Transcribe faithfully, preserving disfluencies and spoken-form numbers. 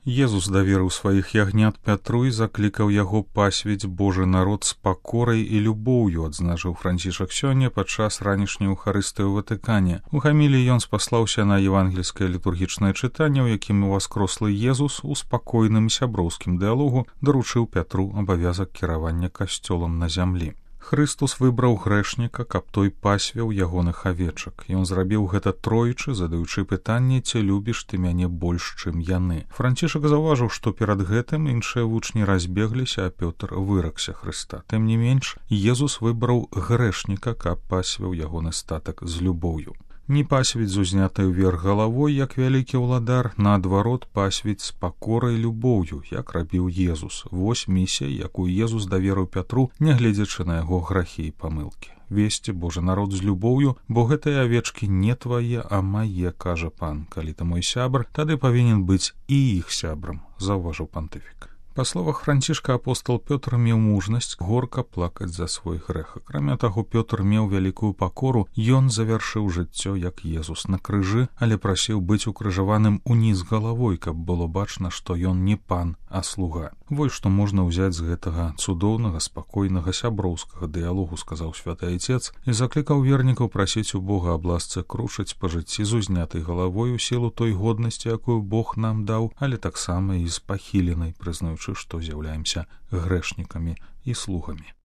Езус даверыў сваіх ягнят Пятру і заклікаў яго пасвіць Божы народ з пакорай і любоўю, адзначыў Францішак сёння падчас ранішняй эўхарыстыі ў Ватыкане. У гаміліі ён спаслаўся на евангельскае літургічнае чытанне, у якім уваскрослы Езус у спакойным сяброўскім дыялогу даручыў Пятру абавязак кіравання касцёлам на зямлі. Хрыстус выбраў грэшніка, каб той пасвіў ягоных авечак. Ён зрабіў гэта тройчы, задаючы пытанне, ці любіш ты мяне больш, чым яны. Францішак заўважыў, што перад гэтым іншыя вучні разбегліся, а Пётр выракся Хрыста. Тым не менш, Езус выбраў грэшніка, каб пасвіў ягоны статак з любоўю. Не пасвіць з узнятай уверх галавой, як вялікі ўладар, наадварот пасвіць з пакорай любоўю, як рабіў Езус. Вось місія, якую Езус даверыў Пятру, нягледзячы на яго грахі і памылкі. Весці Божы народ з любоўю, бо гэтыя авечкі не твае, а мае, кажа пан. Калі ты мой сябр, тады павінен быць і іх сябрам, заўважыў пантыфік. Па словах Францішка, апостол Пётр меў мужнасць горка плакаць за свой грэх. Акрамя таго, Пётр меў вялікую пакору, ён завяршыў жыццё, як Езус, на крыжы, але прасіў быць укрыжаваным уніз галавой, каб было бачна, што ён не пан, а слуга. Вось што можна ўзяць з гэтага цудоўнага, спакойнага, сяброўскага дыялогу, сказаў святы айцец, і заклікаў вернікаў прасіць у Бога аб ласцы крушыць па жыцці з узнятай галавой у сілу той годнасці, якую Бог нам даў, але таксама і з пахіленай, прызнаючы, што з'яўляемся грэшнікамі і слугамі.